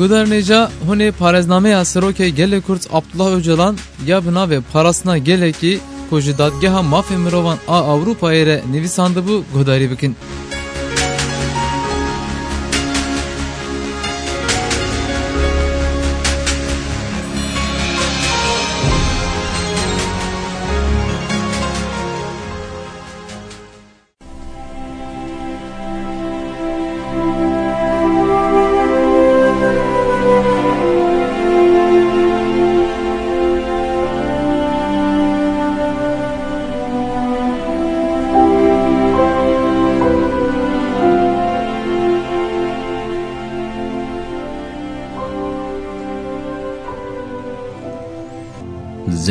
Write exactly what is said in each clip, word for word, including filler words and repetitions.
Guhdarên hêja, hûn ê parêznameya Serokê Gelê Kurd Abdullah Ocalan ya bi navê Parastina Gelekî ku ji Dadgeha Mafê Mirovan a Ewropayê re nivîsandibû guhdarî bikin.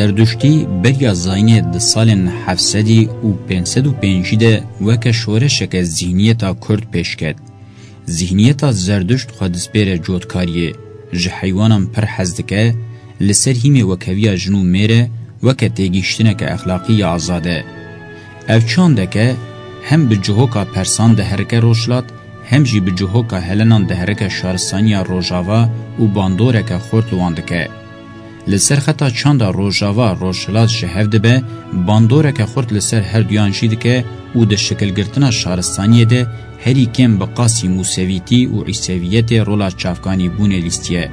Zerduştî beriya zayînê di salên heft sedî û pênc sed û pêncî de weke şoreşeke zîhniyeta Kurd pêş ket. Zîhniyeta Zerduşt xwe dispêre cotkariyê, ji heywanan pir hez dike, li ser hîmê wekheviya jin û mêr e, weke têgihiştineke exlaqî ya azad e. Ev çandeke hem bi cihoka Persan diherike rojhilat, hem jî bi cihoka Helenan diherike şaristaniya Rojava û bandoreke xurt li wan dike. Li ser xeta çanda Rojava Rojhilat ji hev dibe, bandoreke xurt li ser her duyan jî dike û di şikilgirtina şaristaniyê de herî kêm bi qasî Musevîtî û Îseviyetê rola çavkanîbûnê lîstiye.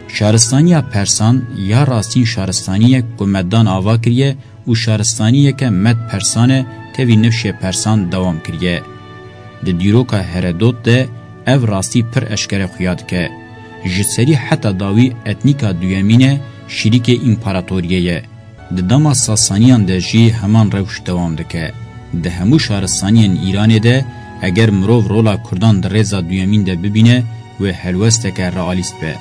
Şaristaniya Persan ya rastîn şaristaniyek ku me dan ava kiriye û şaristaniyeke Med Persan e, tevî nifşê Persan dewam kiriye. Di dîroka Heredot de ev rastî pir eşkere xuya dike. Ji serî heta dawî etnîka duyemîn e, şirîkê împaratoriyê ye. Di dema Sasaniyan de jî heman rewş dewam dike. Di hemû şaristaniyên Îranê de eger mirov rola Kurdan di rêza duyemîn de bibîne, wê helwesteke realîst be.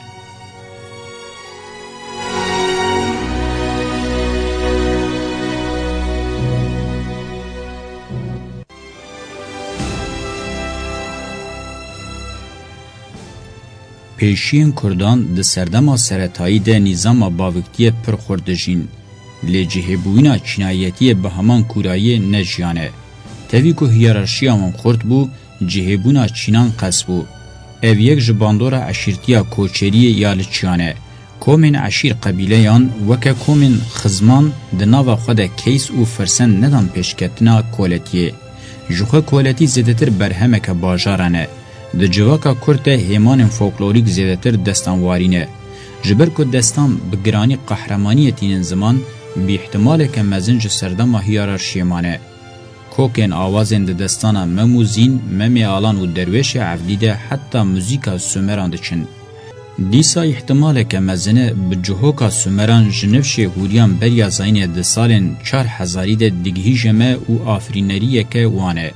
Pêşiyên Kurdan di serdema seretayî de nîzama baviktiyê pir xurt dijîn. Lê cihêbûyîna çînayetiyê bi heman kûrayiyê ne jiyane. Tevî ku hiyerarşiya wan xurt bû, cihêbûna çînan qels bû. Ev yek ji bandora eşîrtiya koçeriyê ya li çiyan e. Komên eşîr qebîleyan weke komên xizman di nava xwe de keys û firsend nedan pêşketina koletiyê. Ji xwe koletî zêdetir berhemeke bajaran e. Di civaka Kurd de hêmanên folklorîk zêdetir destanwarî ne. Ji ber ku destan bi giranî qehremaniyê tînin ziman, bi îhtimaleke mezin ji serdema hiyerarşiyê mane. Kokên awazên di destana Mem û Zîn, Memê Alan û Derwêşê Evdî de heta muzîka Sumeran diçin. Dîsa îhtimaleke mezin e bi cihoka Sumeran ji nifşê hûriyan beriya zayînê di salên çar hezarî de digihîje me û afirîneriyeke wan e.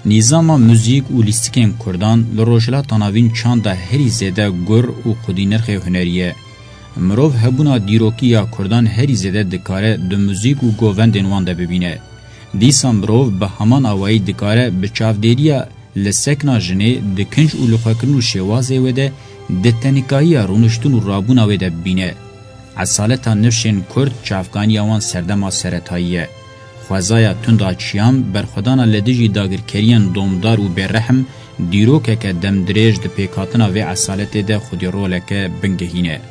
Nîzama muzîk û lîstikên Kurdan li Rojhilata Navîn çanda herî zêde gur û xwedînirxê hunerî ye. Mirov hebûna dîrokî ya Kurdan herî zêde dikare di muzîk û govendên wan de bibîne. Dîsa mirov bi heman awayî dikare bi çavdêriya li sekna jinê, di kinc û lixwekirin û şêwazê wê de, di tenikayiya rûniştin û rabûna wê de bibîne. Esaleta nifşên Kurd çavkaniya wan serdema seretayî ye. Xwezaya tunda çiyan, berxwedana li dijî dagirkeriyên domdar û bêrehm, dîrokeke demdirêj di pêkhatina vê esaletê de xwedî roleke bingehîn e.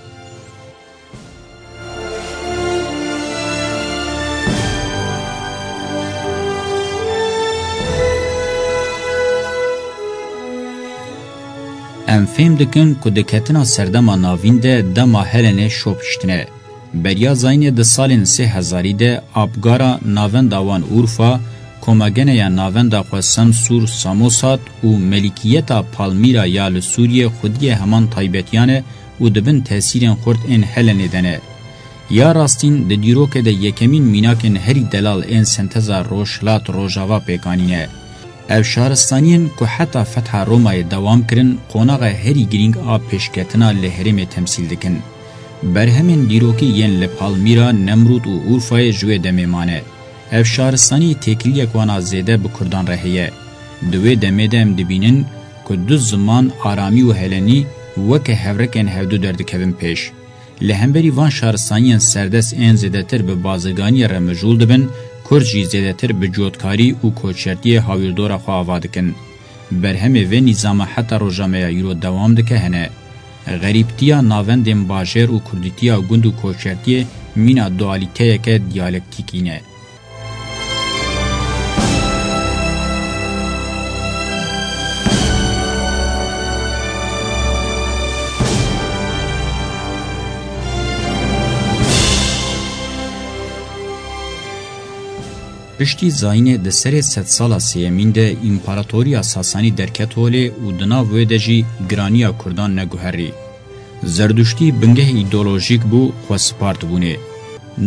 Em fêm dikin ku di ketina serdema navîn de dema Helenê şopiştine. Beriya zayînê di salên sê hezarî de Abgara navenda wan Urfa, komageneya navenda xwe Samsur, Samosat û Melikiyeta Palmîra ya li Sûriyê xwediyê heman taybetiyan e û di bin tesîrên xurt ên Helenê de ne. Ya rastîn, di dîrokê de yekemîn mînakên herî delal ên senteza Rojhilat Rojava pêkanîne. Ev şaristaniyên ku heta fetha Romayê dewam kirin, qonaxa herî girîng a pêşketina li herêmê temsîl dikin. Berhemên dîrokî yên li Palmîra, Nemrûd û Urfayê ji wê demê mane. Ev şaristanî têkiliyek wana zêde bi Kurdan re heye. Di wê demê de em dibînin ku du ziman, aramî û helenî, weke hevrekên hevdu derdikevin pêş. Li hemberî van şaristaniyên serdest ên zêdetir bi bazirganiyê re mijûl dibin, Kurd jî zêdetir bi cotkarî û koçertiyê hawîrdora xwe ava dikin. Berhemê vê nîzama heta roja me ya îro dewam dike hene. Xerîbtiya navendên bajêr û kurdîtiya gund û koçertiyê mîna dualîteyeke diyalektîkî ne. Piştî zayînê di serê sedsala sêyemîn de împaratoriya Sasanî derket holê û di nav wê de jî giraniya kurdan neguherî. Zerduştî bingehê îdeolojîk bû, xwe spartibûnê.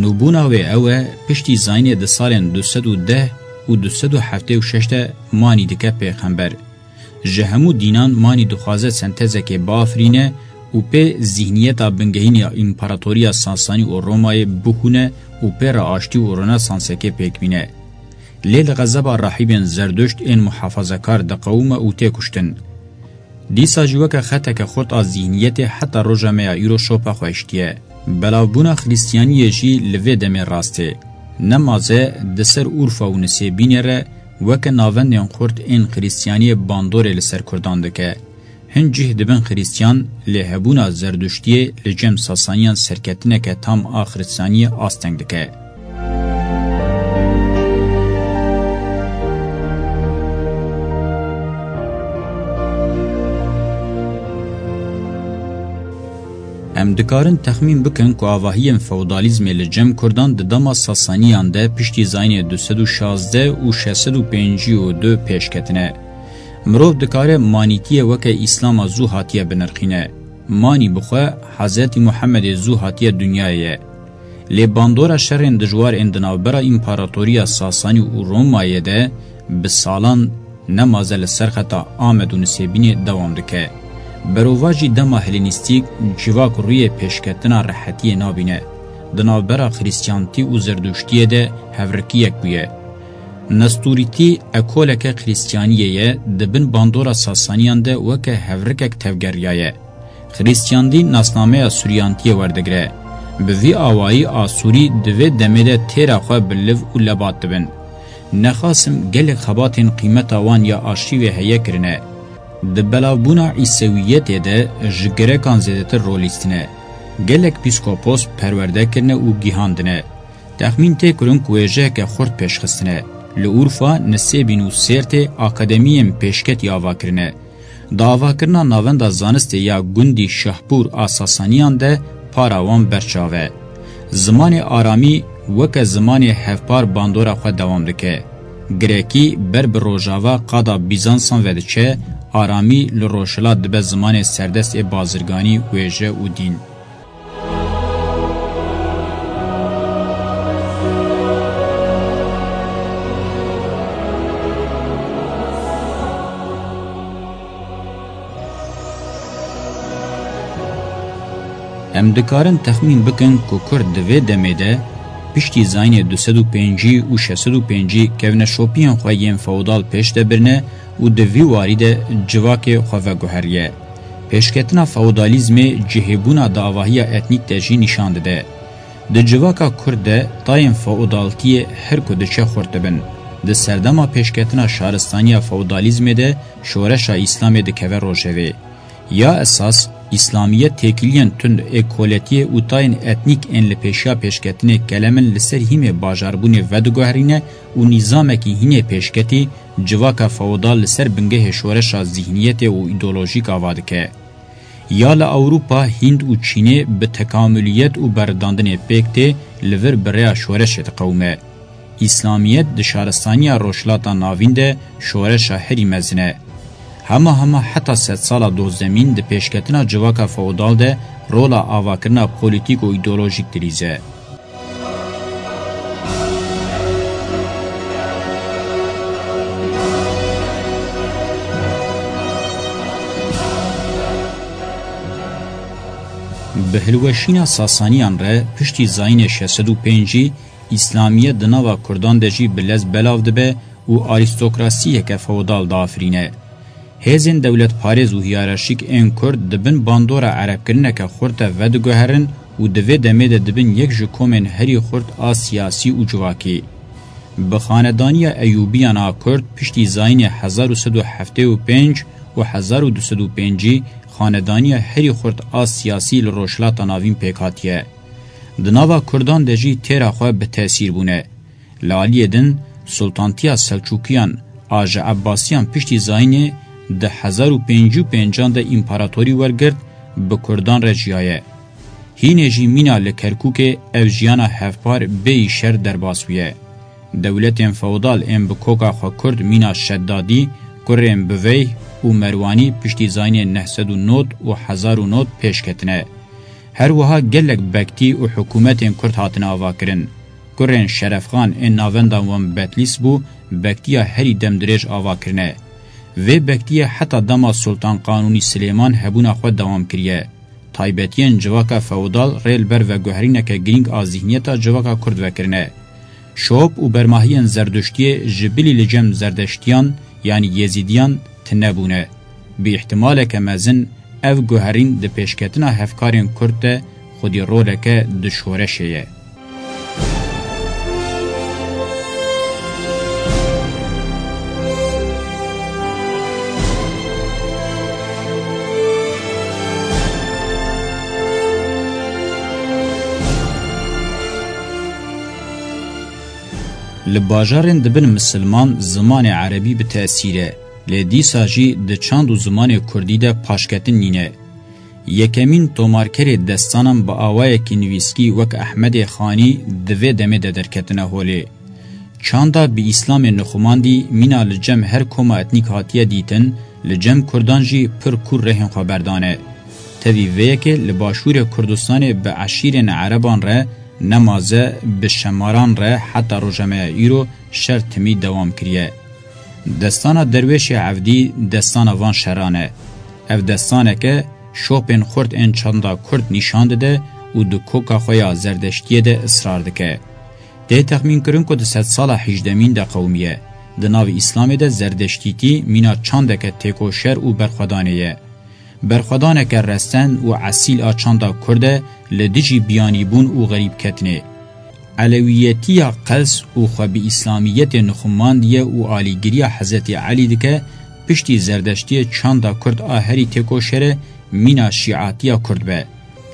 Nûbûna wê ew e, piştî zayînê di salên du sed û deh û du sed û heftê û şeş de manî dike pêxember. Ji hemû dînan manî dixwaze sentezekê biafirîne û pê zîhniyeta bingehîn ya Împaratoriya Sasanî û Romayê bihûne û pê re aştî û ronesansekê pêk bîne. Lê li xezeba rahîbên Zerduşt ên muhafazekar diqewime û tê kuştin. Dîsa jî weke xeteke xurt a zîhniyetê heta roja me ya îro şopa xwe hiştiye. Belavbûna Xristiyaniyê jî li vê demê rast e. Nemaze di ser Urfa û Nisêbînê re weke navendên xurt ên Xristiyaniyê bandorê li ser Kurdan dike. Hin cih dibin Xristiyan, lê hebûna Zerduştiyê li cem Sasaniyan serketineke tam a Xristiyaniyê asteng dike. Em dikarin texmîn bikin ku avahiyên feodalîzmê li cem Kurdan di dema Sasaniyan de piştî zayînê du sed û şazdeh û şeş sed û pêncî û du pêş ketine. Mirov dikare manîtiyê weke Îslama zû hatiye binirxîne. Manî bi xwe Hezretî Muhemmedê zû hatiye dinyayê ye. Lê bandora şerên dijwar ên di navbera Împaratoriya Sasanî û Romayê de bi salan nemaze li ser xeta Amed û Nisêbînê dewam dike. Berovajî dema Helênîstîk civak rûyê pêşketina rehetiyê nabîne. Di navbera Xrîstiyantî û Zerdûştiyê de hevrikiyek bûye. Nestûrîtî ekoleke Xrîstiyaniyê ye, di bin bandora Sasaniyan de weke hevrikek tevgeriyaye. Xrîstiyandî nasnameya Sûriyantiyê werdigire. Bi vî awayî Asûrî di vê demê de têra xwe bi liv û lebat dibin. Nexasim gelek xebatên qîmeta wan ya arşîvê heye kirine. Di belavbûna Îsewiyetê de ji Grekan zêdetir rol lîstine. Gelek pîskopos perwerde kirine û gihandine. Texmîn tê kirin ku wêjeyeke xurt pêşxistine. Li Urfa, Nisêbîn û Sêrtê akademiyên pêşketî ava kirine. Di avakirina navenda zanistê ya gundî Şahpûr a Sasaniyan de para wan berçav e. Zimanê aramî weke zimanê hevpar bandora xwe dewam dike. Grekî ber bi rojava qada Bîzansan ve diçe, aramî li rojhilat dibe zimanê serdest ê bazirganî, wêje û dîn. Em dikarin texmîn bikin ku Kurd di vê demê de, piştî zayînê du sed û pêncî û şeş sed û pêncî kevneşopiyên xwe yên feodal pêş de birine û di vî warî de civakê xwe veguheriye. Pêşketina feodalîzmê cihêbûna di avahiya etnîk de jî nîşan dide. Di civaka Kurd de tayên feodaltiyê her ku diçe xurt dibin. Di serdema pêşketina şaristaniya feodalîzmê de şoreşa Îslamê dikeve rojevê. Ya esas, Îslamiyet têkiliyên tund ê koletiyê û tayên etnîk ên li pêşiya pêşketinê kelemin li ser hîmê bajarbûnê vediguherîne û nîzamekî hînê pêşketî civaka feodal li ser bingehê şoreşa zîhniyetê û îdeolojîk ava dike. Ya li Ewropa, Hînd û Çînê bi tekamuliyet û berridandinê pêk tê, li vir bi rêya şoreşê diqewime. Îslamiyet di şaristaniya Rojhilata Navîn de şoreşa herî mezin e. Hema hema heta sedsala dozdemîn di pêşketina civaka feodal de rola avakirina polîtîk û îdeolojîk dilîze. Bi hilweşîna Sasaniyan re piştî zayînê şeş sed û pêncî, Îslamiyet di nava Kurdan de jî bi lez belav dibe û arîstokrasiyeke feodal diafirîne. Hêzên dewletparêz û hiyerarşîk ên Kurd di bin bandora erebkirineke xurt de vediguherin û di vê demê de dibin yek ji komên herî xurt a siyasî û civakî. Bi xanedaniya Eyûbiyan a Kurd piştî zayînê hezar û sed û heftê û pênc û hezar û du sed û pêncî xanedaniya herî xurt a siyasî li Rojhilata Navîn pêk hatiye. Di nava Kurdan de jî têra xwe bi tesîr bûne. Li aliyê din, Sultantiya Selçûkiyan a ji Ebbasiyan piştî zayînê di hezar û pêncî û pêncan de împaratorî wergirt, bi Kurdan re jiyaye. Hînê jî mîna li Kerkûkê ev jiyana hevpar bêyî şer derbas bûye. Dewletên feodal ên bi koka xwe Kurd mîna Şeddadî, kurên Biveyh û Merwanî piştî zayînê neh sed û nod û hezar û nod pêş ketine. Her wiha gelek bektî û hikûmetên Kurd hatine avakirin. Kurên Şerefxan ên navenda wan Betlîs bû, bektiya herî demdirêj ava kirine. Vê bektiyê heta dema Sultan Qanûnî Silêman hebûna xwe dewam kiriye. Taybetiyên civaka feodal rê li ber veguherîneke girîng a zîhniyeta civaka Kurd vekirine. Şop û bermahiyên Zerduştiyê ji bilî li cem Zerdeştiyan, yanî Yezîdiyan, tune bûne. Bi îhtimaleke mezin ev guherîn di pêşketina hevkarên Kurd de xwedî roleke di şoreşê ye. Li bajarên dibin misilman zimanê erebî bi tesîr e, lê dîsa jî di çand û zimanê kurdî de paşketin nîne. Yekemîn tomarkerê destanan bi awayekî nivîskî wek Ehmedê Xanî di vê demê de derketine holê. Çanda bi Îslamê nixumandî mîna li cem her koma etnîk hatiye dîtin, li cem kurdan jî pir kûr rehên xwe berdane. Tevî vê yekê li başûrê Kurdistanê bi eşîrên ereban re nemaze bi şemaran re heta roja me ya îro şer timî dewam kiriye. Destana Derwêşê Evdî destana van şeran e. Ev destaneke şopên xurt ên çanda Kurd nîşan dide û di koka xwe ya Zerdeştiyê de israr dike. Tê texmînkirin ku di sedsala hejdemîn de qewimiye. Di nav Îslamê de Zerdeştîtî mîna çandeke têkoşer û berxwedanê ye. Berxwedaneke resen û esîl a çanda Kurd e li dijî biyanîbûn û xerîbketinê. Elewiyetiya qels û xwe bi Îslamiyetê nixumandiye û alîgiriya Hezretî Elî dike, piştî Zerdeştiyê çanda Kurd a herî têkoşer e, mîna şîatiya Kurd be.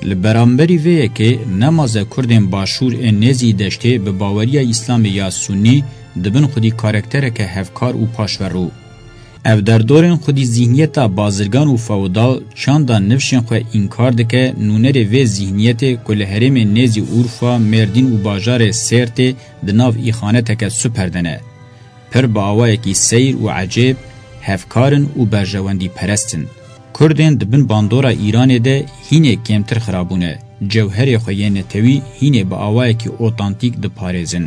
Li beramberî vê yekê nemaze Kurdên başûr ên nêzî deştê bi baweriya Îslamê ya Sunnî dibin xwedî karaktereke hevkar û paşverû. Ev derdorên xwedî zîhniyeta bazirgan û feodal çanda nifşên xwe înkar dike, nûnerê vê zîhniyetê ku li herêmên nêzî Urfa, Mêrdîn û bajarê Sêrtê di nav îxaneteke super de ne. Pir bi awayekî seyr û ecêb, hevkar in û berjewendîperest in. Kurdên di bin bandora Îranê de hînê kêmtir xirabûne, cewherê xwe yê netewî hînê bi awayekî otantîk diparêzin.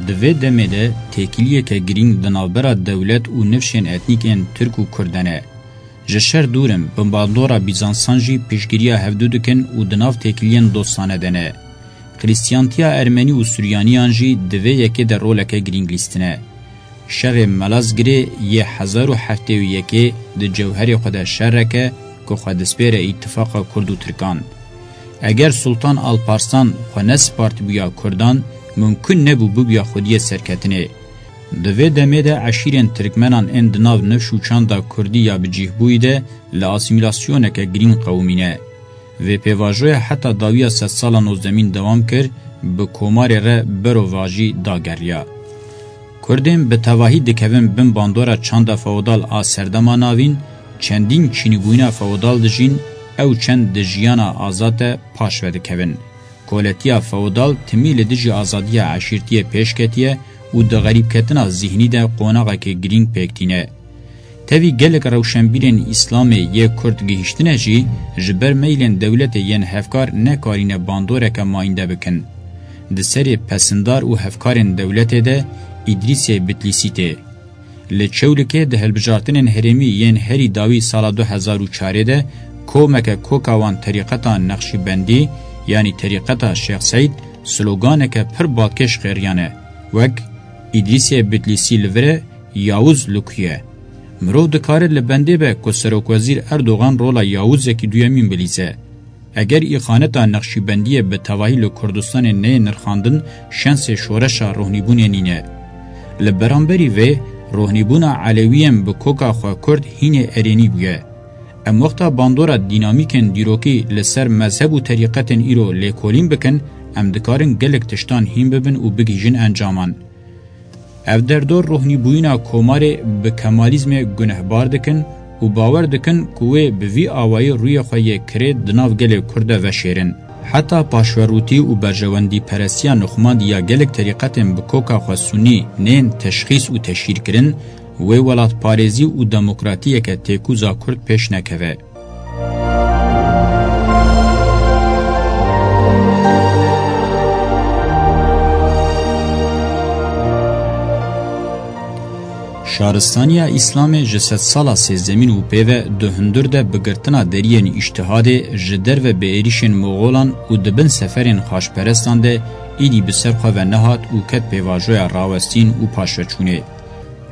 Di vê demê de têkiliyeke girîng di navbera dewlet û nifşên etnîk ên Tirk û Kurd de ne. Ji şer dûr in, bi bandora Bîzansan jî piştgiriya hevdu dikin û di nav têkiliyên dostane de ne. Xrîstiyantiya Ermenî û Suryaniyan jî di vê yekê de roleke girîng lîstine. Şerê Melazgirê yê hezar û heftê û yekê di cewherê xwe de şereke ku xwe dispêre îtifaqa Kurd û Tirkan. Eger Sultan Alparslan xwe nespartibûya Kurdan, mumkin nebû bibûya xwediyê serketinê. Di vê demê de eşîrên Tirkmenan ên di nav nifş û çanda Kurdî ya bicîhbûyî de li asîmîlasyoneke girîng qewimîne. Vê pêvajoya heta dawiya sedsala nozdemîn dewam kir, bi komarê re berovajî dageriya. Kurdên bi tevahî dikevin bin bandora çanda feodal a serdema navîn, çendîn çînîbûyîna feodal dijîn, ew çend di jiyana azad de paş ve dikevin. Koletiya feodal timî li dijî azadiya eşîrtiyê pêş ketiye û di xerîbketina zîhnî de qonaxekê girîng pêk tîne. Tevî gelek rewşenbîrên Îslamê yê Kurd gihîştine jî, ji ber meylên dewletê yên hevkar nekarîne bandoreke mayînde bikin. Di serê pesindar û hevkarên dewletê de Îdrîsê Bitlîsî tê. Li Çewlikê di hilbijartinên herêmî yên herî dawî sala du hezar û çarê de komeke koka wan terîqeta Nexşîbendî, yanî terîqeta Şêx Seîd, sloganeke pir balkêş xêriyane, wek Îdrîsê Bitlîsî li vir e, Yawuz li ku ye? Mirov dikare li bendê be ku Serokwezîr Erdogan rola Yawuzekî duyemîn bilîze. Eger îxaneta nexşîbendiyê bi tevahî li Kurdistanê neyê nirxandin, şensê şoreşa rohnîbûnê nîne. Li beramberî vê, rohnîbûna Elewiyên bi koka xwe Kurd hînê erênî bûye. Em wexta bandora dînamîkên dîrokî li ser mezheb û terîqetên îro lêkolîn bikin, em dikarin gelek tiştan hîn bibin û bigihîjin encaman. Ev derdor rohnîbûyîna komarê bi kemalizmê gunehbar dikin û bawer dikin ku wê bi vî awayî rûyê xwe yê kirê di nav gelê Kurd de veşêrin. Heta paşverûtî û berjewendîperestiya nixumandî ya gelek terîqetên bi koka xwe sunî nên teşxîs û teşhîrkirin, wê welatparêzî û demokratiyeke têkûza Kurd pêş nekeve. Şaristaniya Îslamê ji sedsala sêzdemîn û pê ve di hundir de bi girtina deriyên îştihadê ji derve bi êrîşên Moxolan û di bin seferên xaçperestan de îdî bi ser xwe ve nehat û ket pêvajoya rawestîn û paşveçûnê.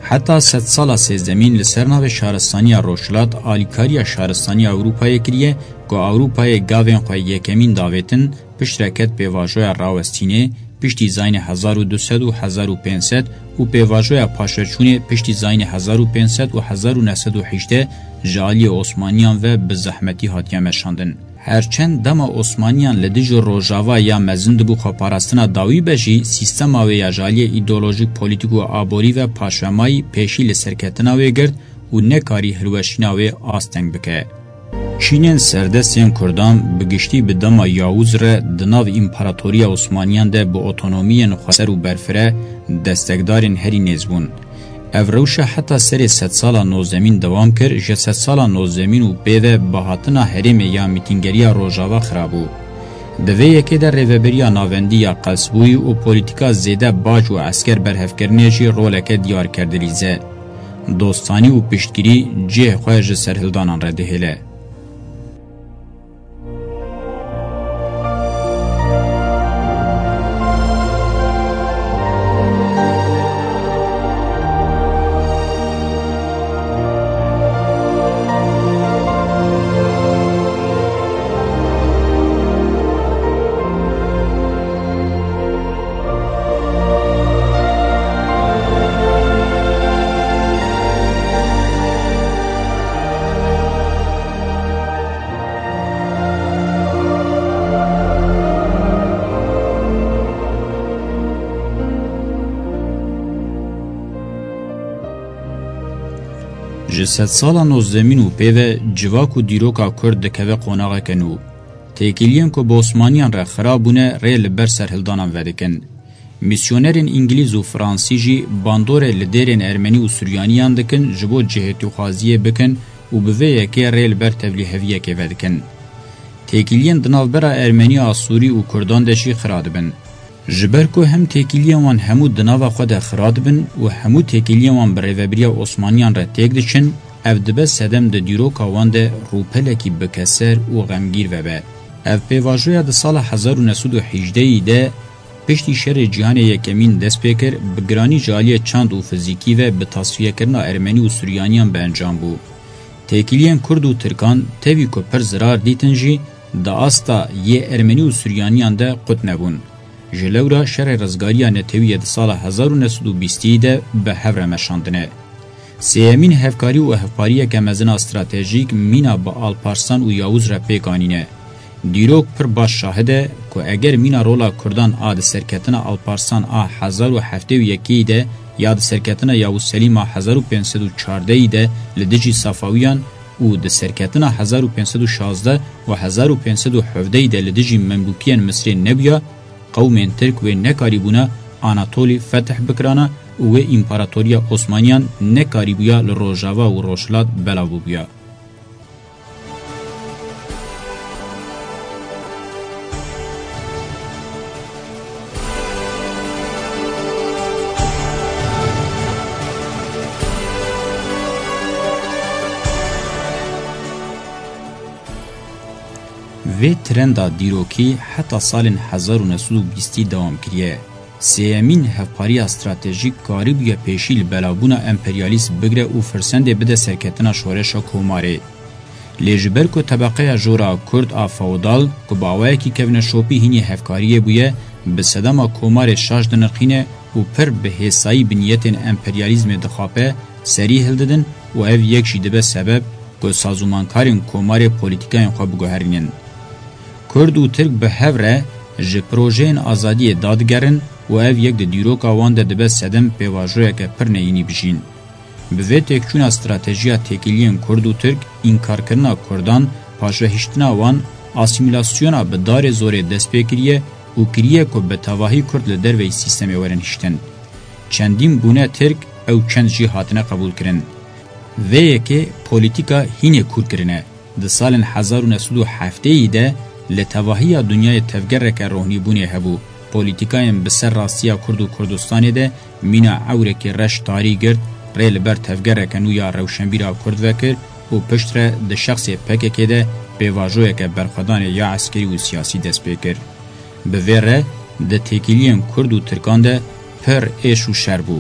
Heta sedsala sêzdemîn li ser navê şaristaniya Rojhilat alîkariya şaristaniya Ewropayê kiriye, ku Ewropayê gavên xwe yekemîn davêtin, piştre ket pêvajoya rawestînê, piştî zayînê hezar û du sed û hezar û pênc sed û pêvajoya paşveçûnê piştî zayînê hezar û pênc sed û hezar û neh sed û hejdeh ji aliyê Osmaniyan ve bi zehmetî hatiye meşandin. Her çend dema Osmaniyan li dijî Rojava ya mezin dibû xweparastina dawî be jî, sîstema wê ya ji aliyê îdeolojîk, polîtîk û aborî ve paşvemayî pêşî li serketina wê girt û nekarî hilweşîna wê asteng bike. Çînên serdest yên Kurdan bi giştî bi dema Yawûz re di nav Împaratoriya Osmaniyan de bi otonomiyên xweser û berfireh destekdarên herî nêz bûn. Ev rewşa heta serê sedsala nozdemîn dewam kir, ji sedsala nozdemîn û pê ve bihatina herêmê ya mîtîngeriya Rojava xira bû. Di vê yekê de Rêveberiya Navendî ya qelsbûyî û polîtîka zêde bac û esker berhevkirinê jî roleke diyar kir dilîze. Dostanî û piştgirî cihê xwe ji serhildanan re dihêle. Ji sedsala nozdemîn û pê ve civak û dîroka Kurd dikeve qonaxeke nû. Têkiliyên ku bi Osmaniyan re xira bûne rê li ber serhildanan vedikin. Misyonerên îngilîz û fransî jî bandorê li dêrên ermenî û suryaniyan dikin, ji bo cihêtûxwaziyê bikin û bi vê yekê rê li ber tevlîheviyekê vedikin. Têkiliyên di navbera ermenî, asûrî û kurdan de jî xira dibin. Ji ber ku hem têkiliyên wan hemû di nava xwe de xira dibin û hemû têkiliyên wan bi rêvebiriya Osmaniyan re têk diçin, ev dibe sedem di dîroka wan de rûpelekî bikeser û xemgîr vebe. Ev pêvajoya di sala hezar û neh sed û hejdehî de, piştî Şerê Cîhanê Yekemîn dest pê kir, bi giranî ji aliyê çand û fizîkî ve bi tasfiyekirina ermenî û suryaniyan bi encam bû. Têkiliyên kurd û tirkan tevî ku pir zirar dîtin jî, di asta yê ermenî û suryaniyan de qut nebûn. Ji lewra şerê rizgariya netewî yê di sala hezar û neh sed û bîstî de bi hev re meşandine. Sêyemîn hevkarî û hevpariyeke mezin a stratejîk mîna bi Alparslan û Yawûz re pêk anîne. Dîrok pir baş şahid e ku eger mîna rola Kurdan a di serketina Alparslan a hezar û heftê û yekê de ya di serketina Yawûz Selîm a hezar û pênc sed û çardehî de li dijî Safawiyan û di serketina hezar û pênc sed û şazdeh û hezar û pênc sed û hevdehî de li dijî Memlûkiyên Misrê nebûya, qewmên Tirk wê nekarîbûna Anatolî fetih bikirana û wê Împaratoriya Osmaniyan nekarîbûya li Rojava û Rojhilat belav bûbûya. Vê trenda dîrokî heta salên hezar û neh sed û bîstî dewam kiriye. Sêyemîn hevpariya stratejîk karîbûye pêşî li belavbûna emperyalîst bigire û firsendê bide serketina şoreşa Komarê. Lê ji ber ku tebeqeya jora Kurd a feodal ku bi awayekî kevneşopî hînî hevkariyê bûye, bi sedema Komarê şaş dinirxîne û pir bi hêsayî bi niyetên emperyalîzmê dixape, serî hildidin û ev yek jî dibe sebeb ku sazûmankarên Komarê polîtîkayên xwe biguherînin. Kurd û Tirk bi hev re ji projeyên azadiyê dadigerin û ev yek di dîroka wan de dibe sedem pêvajoyeke pir neyînî bijîn. Bi vê têkçûna stratejiya têkiliyên Kurd û Tirk, înkarkirina Kurdan, paşvehiştina wan, asîmîlasyona bi darê zorê dest pê kiriye û kiriye ku bi tevahî Kurd li derveyî sîstemê werin hiştin. Çendîn bûne Tirk, ew çend jî hatine qebûlkirin. Vê yekê polîtîka hînê kûr kirine. Di salên hezar û neh sed û heftêyî de li tevahiya dinyayê tevgereke rohnîbûnê hebû. Polîtîkayên bi ser rastiya Kurd û Kurdistanê de mîna ewrekî reş tarî girt, rê li ber tevgereke nû ya rewşenbîra Kurd vekir û piştre di şexsê P K K de pêvajoyeke berxwedanê ya eskerî û siyasî dest pê kir. Bi vê re di têkiliyên Kurd û Tirkan de pir êş û şer bû.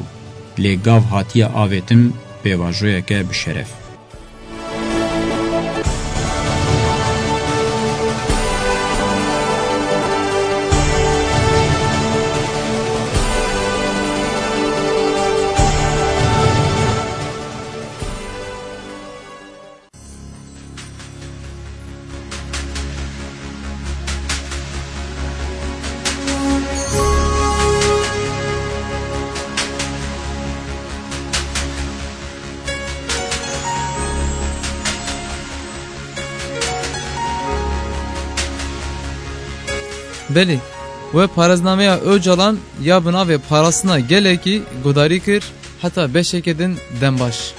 Lê gav hatiye avêtin pêvajoyeke bi şeref. Belê, we parêznameya Ocalan ya bi navê Parastina Gelekî guhdarî kir, heta beşeke din dem baş.